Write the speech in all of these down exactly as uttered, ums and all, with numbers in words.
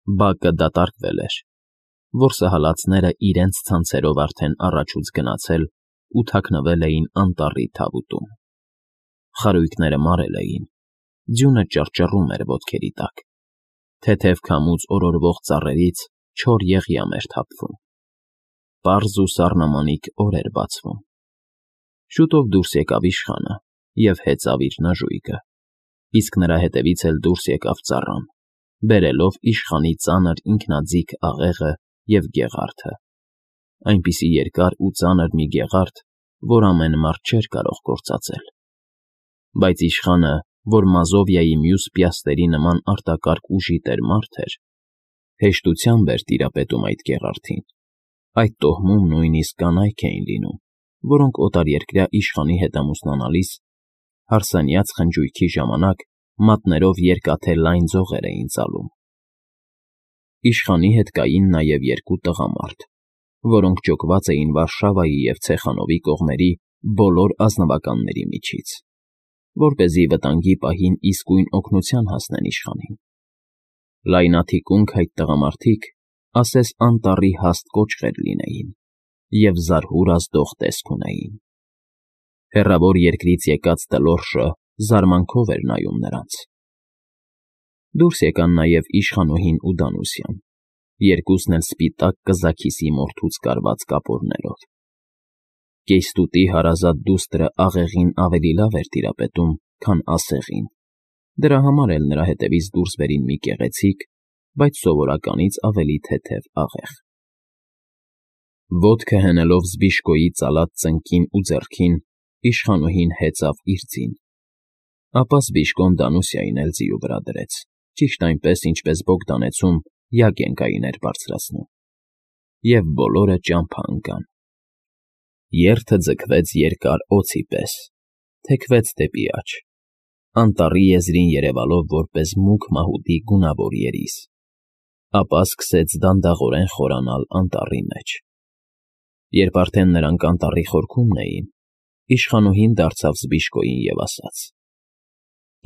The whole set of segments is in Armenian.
Բակը դատարկվել էր։ Որսահալածները իրենց ցանցերով արդեն առաջուց գնացել ու թաքնվել էին անտառի թավուտում։ Խարույկները մարել էին, ձյունը ճռճռում էր ոտքերի տակ, թեթև քամուց օրորվող ծառերից չոր եղյամ էր թափվում։ Պարզ ու սառնամանիք օր էր բացվում։ Շուտով դուրս եկավ իշխանը և հեծավ իր նժույգը, իսկ նրա հետևից էլ դուրս եկավ ծառան, բերելով իշխանի ծանր ինքնաձիգ աղեղը և գեղարդը, այնպիսի երկար ու ծանր մի գեղարդ, որ ամեն մարդ չէր կարող գործածել։ Բայց իշխանը, որ Մազովիայի մյուս պիաստերի նման արտակարգ ուժի տեր֊մարդ էր, հեշտությամբ էր տիրապետում այդ գեղարդին։ Այդ տոհմում նույնիսկ կանայք էին լինում, որոնք օտարերկրյա իշխանի հետ ամուսնանալիս, հարսանյաց խնջույքի ժամանակ մատներով երկաթե լայն ձողեր էին ծալում։ Իշխանի հետ կային նաև երկու տղամարդ, որոնք ջոկված էին Վարշավայի և Ցեխանովի կողմերի բոլոր ազնվականների միջից, որպեսզի վտանգի պահին իսկույն օգնության հասնեն իշխանին։ Լայնաթիկունք այդ տղամարդիկ ասես անտառի հաստ կոճղեր լինեին և զարհուր ազդող տեսք ունեին։ Հեռավոր երկրից եկած Տլորշը զարմանքով էր նայում նրանց։ Դուրս եկան նաև իշխանուհին ու Դանուսյան, երկուսն էլ սպիտակ կզաքիսի մորթուց կարված կապորներով։ Կեյստուտի հարազատ դուստրը աղեղին ավելի լավ էր տիրապետում, քան ասեղին, դրա համար էլ նրա հետևից դուրս բերին մի գեղեցիկ, բայց սովորականից ավելի թեթև աղեղ։ Ոտքը հենելով Զբիշկոյի ծալած ծնկին ու ձեռքին, իշխանուհին հեծավ իր ձին, ապա Զբիշկոն Դանուսիային էլ ձիու վրա դրեց, ճիշտ այնպես, ինչպես Բոգդանեցում Յագենկային էր բարձրացնում, և բոլորը ճամփա ընկան։ Երթը ձգվեց երկար օձի պես, թեքվեց դեպի աջ, անտառի եզրին երևալով որպես մուգ մահուդի գունավոր երիս, ապա սկսեց դանդաղորեն խորանալ անտառի մեջ։ Երբ արդեն նրանք անտառի խորքումն էին, իշխանուհին դարձավ Զբիշկոյին և ասաց.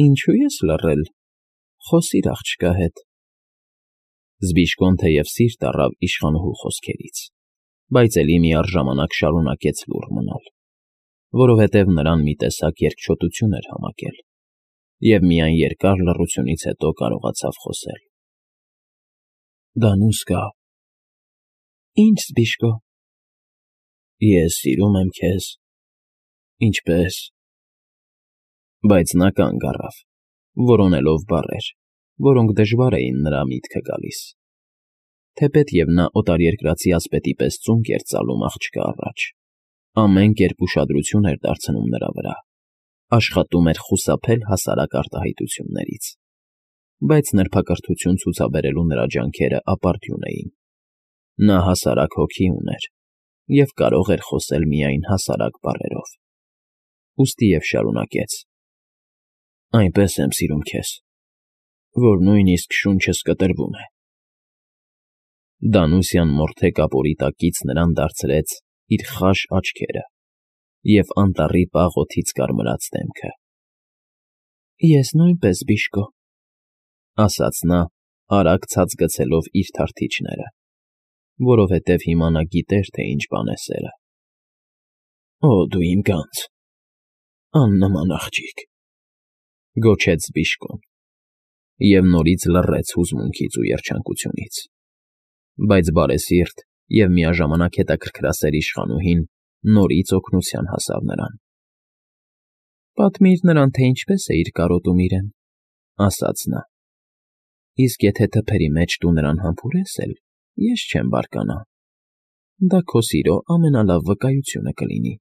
«Ինչո՞ւ ես լռել, խոսիր աղջկա հետ»։ Զբիշկոն թեև սիրտ առավ իշխանուհու խոսքերից, բայց էլի միառժամանակ շարունակեց լուռ մնալ, որովհետև նրան մի տեսակ երկչոտություն էր համակել, և միայն երկար լռությունից հետո կարողացավ խոսել. «Դանուսկա»։ «Ի՞նչ, Զբիշկո»։ «Ես սիրում եմ քեզ»։ «Ինչպե՞ս»։ Բայց նա կանգ առավ, որոնելով բառեր, որոնք դժվար էին նրա միտքը գալիս, թեպետ և նա օտարերկրացի ասպետի պես ծունկ էր ծալում աղջկա առաջ, ամեն կերպ ուշադրություն էր դարձնում նրա վրա, աշխատում էր խուսափել հասարակ արտահայտություններից, բայց նրբակրթություն ցուցաբերելու նրա ջանքերը ապարդյուն էին։ Նա հասարակ հոգի ուներ և կարող էր խոսել միայն հասարակ բառերով։ Ուստի և շարունակեց. «Այնպես եմ սիրում քեզ, որ նույնիսկ շունչս կտրվում է»։ Դանուսյան մորթե կապորի տակից նրան դարձրեց իր խաշ աչքերը և անտառի պաղ օդից կարմրած դեմքը։ «Ես նույնպես, Զբիշկո», ասաց նա, արագ ցած գցելով իր թարթիչները, որովհետև հիմա նա գիտեր, թե ինչ բան է սերը։ «Օ, դու իմ գանձ, աննման աղջիկ», գոչեց Զբիշկոն և նորից լռեց հուզմունքից ու երջանկությունից, բայց բարեսիրտ և միաժամանակ հետաքրքրասեր իշխանուհին նորից օգնության հասավ նրան։ «Պատմիր նրան, թե ինչպես էիր կարոտում իրեն», ասաց նա, «իսկ եթե թփերի մեջ դու նրան համբուրես էլ, ես չեմ բարկանա, դա քո սիրո ամենալավ վկայությունը կլինի»։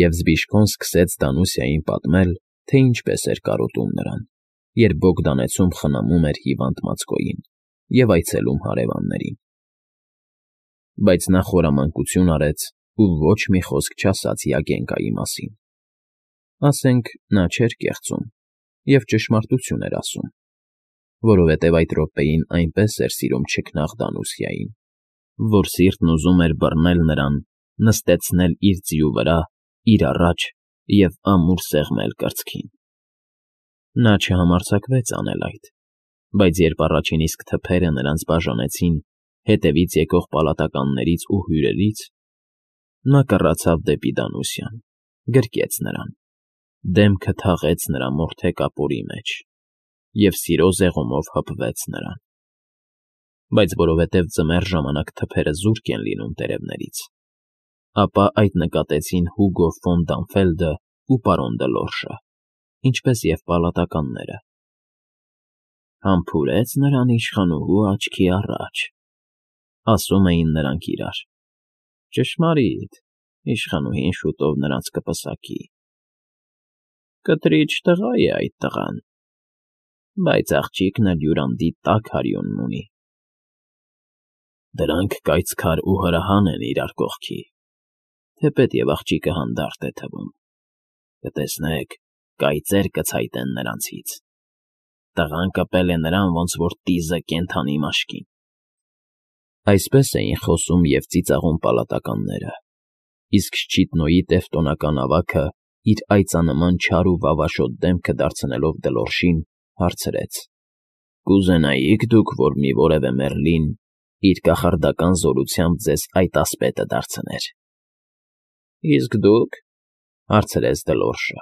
Եվ Զբիշկոն սկսեց Դանուսիային պատմել, թե ինչպես էր կարոտում նրան, երբ Բոգդանեցում խնամում էր հիվանդ Մացկոյին և այցելում հարևաններին։ Բայց նա խորամանկություն արեց ու ոչ մի խոսք չասաց Յագենկայի մասին։ Ասենք, նա չէր կեղծում և ճշմարտություն էր ասում, որովհետև այդ րոպեին այնպես էր սիրում չքնաղ Դանուսիային, որ սիրտն ուզում էր բռնել նրան, նստեցնել իր ձիու վրա, իր առաջ և ամուր սեղմել կրծքին։ Նա չհամարձակվեց անել այդ, Բայց երբ առաջին իսկ թփերը նրանց բաժանեցին հետևից եկող պալատականներից ու հյուրերից, նա կռացավ դեպի Դանուսյան, գրկեց նրան, դեմքը թաղեց նրա մորթե կապորի մեջ և սիրո զեղումով հպվեց նրան։ Բայց որովհետև ձմեռ ժամանակ թփերը զուրկ են լինում տերևներից, ապա այդ նկատեցին Հուգո ֆոն Դանֆելդը ու պարոն Դլորշը, ինչպես և պալատականները։ «Համբուրեց նրան իշխանուհու աչքի առաջ», ասում էին նրանք իրար։ «Ճշմարիտ, իշխանուհին շուտով նրանց կպսակի։ Կտրիչ տղա է այդ տղան, բայց աղջիկն էլ յուրանդի տաք արյունն ունի։ Դրանք կայծքար ու հրահան են իրար կողքի, թեպետև աղջիկը հանդարտ է թվում։ Կտեսնեք, կայծեր կցայտեն նրանցից։ Տղան կպել է նրան, ոնց որ տիզը կենդանի մաշկին»։ Այսպես էին խոսում և ծիծաղում պալատականները, իսկ Շչիտնոյի տևտոնական ավագը, իր այծանման չար ու վավաշոտ դեմքը դարձնելով Դլորշին, հարցրեց. «Կուզենայի՞ք դուք, որ մի որևէ մեռլին իր կախարդական զորությամբ ձեզ այդ ասպետը դարձներ»։ «Իսկ դուք», հարցրեց Դլորշը։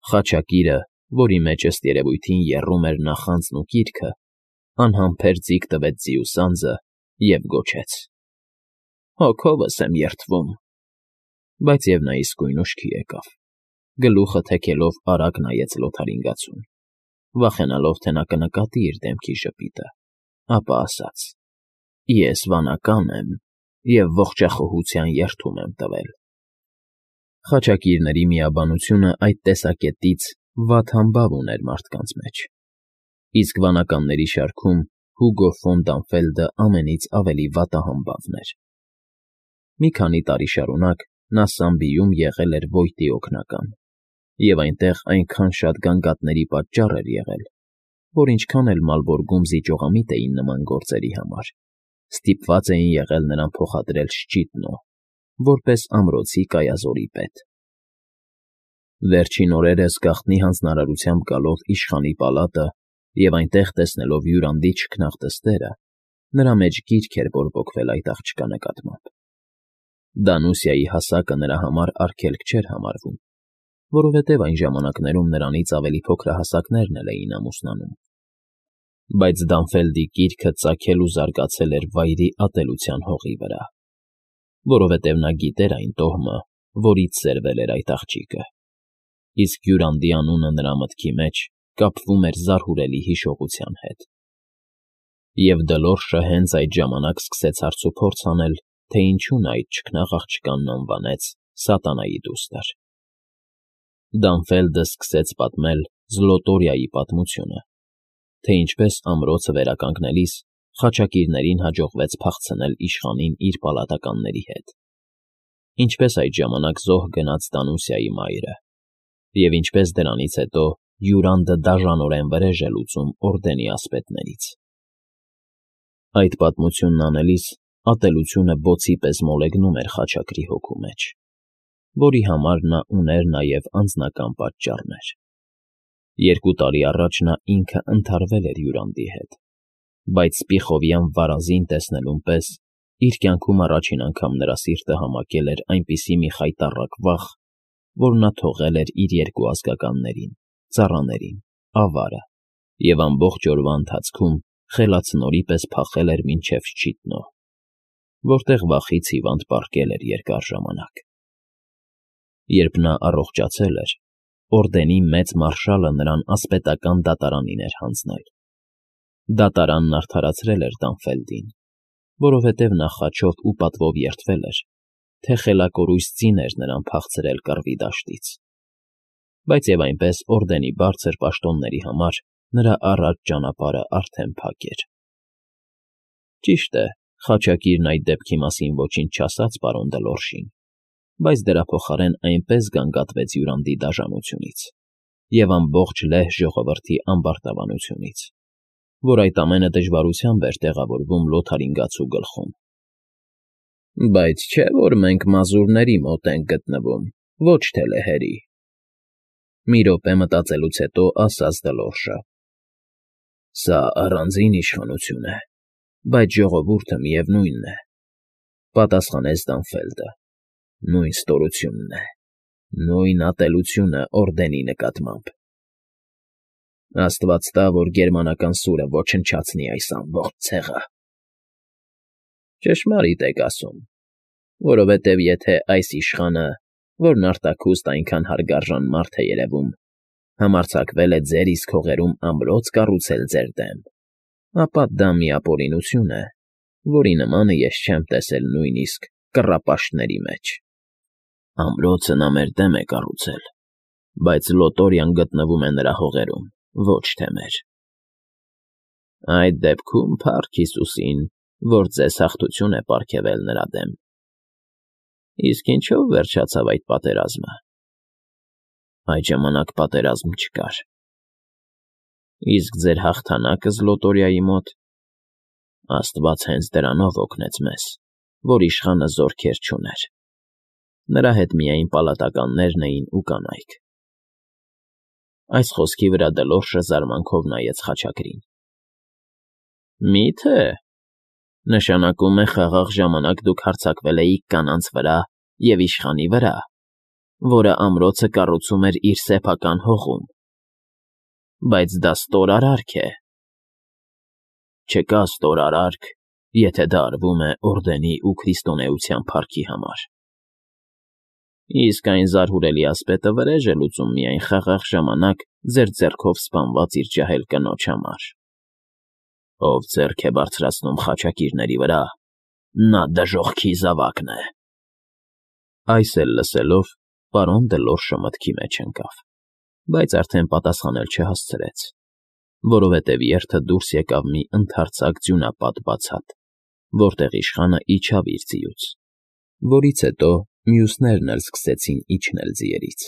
Խաչակիրը, որի մեջ ըստ երևույթին եռում էր նախանձն ու կիրքը, անհամբեր ձիգ տվեց ձիուսանձը և գոչեց. «Հոգովս եմ երդվում»։ Բայց և նա իսկույն ուշքի եկավ, գլուխը թեքելով արագ նայեց լոթարինգացուն, վախենալով, թե նա կնկատի իր դեմքի ժպիտը, ապա ասաց. «Ես վանական եմ և ողջախոհության երդում եմ տվել»։ Խաչակիրների միաբանությունը այդ տեսակետից վատ համբավ ուներ մարդկանց մեջ, իսկ վանականների շարքում Հուգո ֆոն Դանֆելդը ամենից ավելի վատահամբավն էր։ Մի քանի տարի շարունակ նա Սամբիում եղել էր Վոյտի օգնական, և այնտեղ այնքան շատ գանգատների պատճառ էր եղել, որ ինչքան էլ Մալբորգում զիջողամիտ էին նման գործերի համար, ստիպված էին եղել նրան փոխադրել Շչիտնո, որպես ամրոցի կայազորի պետ։ Վերջին օրերս գաղտնի հանձնարարությամբ գալով իշխանի պալատը և այնտեղ տեսնելով յուրանդի չքնաղ դստերը, նրա մեջ գիրք էր բորբոքվել այդ աղջկա նկատմամբ։ Դանուսիայի հասակը նրա համար արգելք չէր համարվում, որովհետև այն ժամանակներում նրանից ավելի փոքրահասակներն էլ էին ամուսնանում։ Բայց Դանֆելդի գիրքը ծագել ու զարգացել էր վայրի ատելության հողի վրա, որովհետև նա գիտեր այն տոհմը, որից սերվել էր այդ աղջիկը, իսկ Յուրանդի անունը նրա մտքի մեջ կապվում էր զարհուրելի հիշողության հետ։ Եվ Դլորշը հենց այդ ժամանակ սկսեց հարցուփորձ անել, թե ինչու նա այդ չքնաղ աղջկանն անվանեց սատանայի դուստր։ Դանֆելդը սկսեց պատմել Զլոտորիայի պատմությունը, թե ինչպես ամրոցը վերականգնելիս խաչակիրներին հաջողվեց փախցնել իշխանին իր պալատականների հետ, ինչպես այդ ժամանակ զոհ գնաց Դանուսիայի մայրը, և ինչպես դրանից հետո Յուրանդը դաժանորեն վրեժ է լուծում օրդենի ասպետներից։ Այդ պատմությունն անելիս ատելությունը բոցի պես մոլեգնում էր խաչակրի հոգու մեջ, որի համար նա ուներ նաև անձնական պատճառներ։ Երկու տարի առաջ նա ինքը ընդհարվել էր Յուրանդի հետ, բայց Սպիխովյան վարազին տեսնելուն պես իր կյանքում առաջին անգամ նրա սիրտը համակել էր այնպիսի մի խայտառակ վախ, որ նա թողել էր իր երկու ազգականներին, ծառաներին, ավարը և ամբողջ օրվա ընթացքում խելացնորի պես փախել էր մինչև Շչիտնո, որտեղ վախից հիվանդ պառկել էր երկար ժամանակ։ Երբ նա առողջացել էր, օրդենի մեծ մարշալը նրան ասպետական դատարանին էր հանձնել։ Դատարանն արդարացրել էր Դանֆելդին, որովհետև նա խաչով ու պատվով երդվել էր, թե խելակորույս ձին էր նրան փախցրել կռվի դաշտից, բայց և այնպես օրդենի բարձր պաշտոնների համար նրա առաջ ճանապարհը արդեն փակ էր։ Ճիշտ է, խաչակիրն այդ դեպքի մասին ոչինչ չասաց պարոն Դլորշին, բայց դրա փոխարեն այնպես գանգատվեց Յուրանդի դաժանությունից և ամբողջ լեհ ժողովրդի ամբարտավանությունից, որ այդ ամենը դժվարությամբ էր տեղավորվում լոթարինգացու գլխում։ «Բայց չէ՞ որ մենք մազուրների մոտ ենք գտնվում, ոչ թե լեհերի», մի րոպե մտածելուց հետո ասաց Դլորշը։ Սա առանձին իշխանություն է, բայց ժողովուրդը, միևնույնն է,֊ պատասխանեց Դանֆելդը,֊ նույն ստորությունն է, նույն ատելությունը Օրդենի նկատմամբ… Աստված տա, որ գերմանական սուրը ոչնչացնի այս ամբողջ ցեղը… Ճշմարիտ եք ասում, որովհետև եթե այս իշխանը, որն արտաքուստ այնքան հարգարժան մարդ է երևում, համարձակվել է ձեր իսկ հողերում ամրոց կառուցել ձեր դեմ, ապա դա մի ապօրինություն է, որի նմանը ես չեմ տեսել նույնիսկ կռապաշտների մեջ… Ամրոցը նա մեր դեմ է կառուցել, բայց Լոտորիան գտնվում է նրա հողերում, ոչ թե մեր… Այդ դեպքում փառք Հիսուսին, որ ձեզ հաղթություն է պարգևել նրա դեմ… Իսկ ինչո՞վ վերջացավ այդ պատերազմը… Այդ ժամանակ պատերազմ չկար… Իսկ ձեր հաղթանակը Զլոտորիայի մոտ… Աստված հենց դրանով օգնեց մեզ, որ իշխանը զորքեր չուներ… Նրա հետ միայն պալատականներն էին ու կանայք… Այս խոսքի վրա Դլորշը զարմանքով նայեց խաչակրին։ ֊ Մի՞թե… Նշանակում է խաղաղ ժամանակ դուք հարձակվել էիք կանանց վրա և իշխանի վրա, որը ամրոցը կառուցում էր իր սեփական հողում… Բայց դա ստորարարք է… ֊ Չկա ստորարարք, եթե դա արվում է Օրդենի ու քրիստոնեության փառքի համար… Իսկ այն զարհուրելի ասպետը վրեժ է լուծում միայն խաղաղ ժամանակ ձեր ձեռքով սպանված իր ջահել կնոջ համար… Ով ձեռք է բարձրացնում խաչակիրների վրա, նա դժոխքի զավակն է… Այս էլ լսելով, պարոն Դլորշը մտքի մեջ ընկավ, բայց արդեն պատասխանել չհասցրեց, որովհետև երթը դուրս եկավ մի ընդարձակ ձյունապատ բացատ, որտեղ իշխանը իջավ իր ձիուց, որից հետո մյուսներն էլ սկսեցին իջնել ձիերից։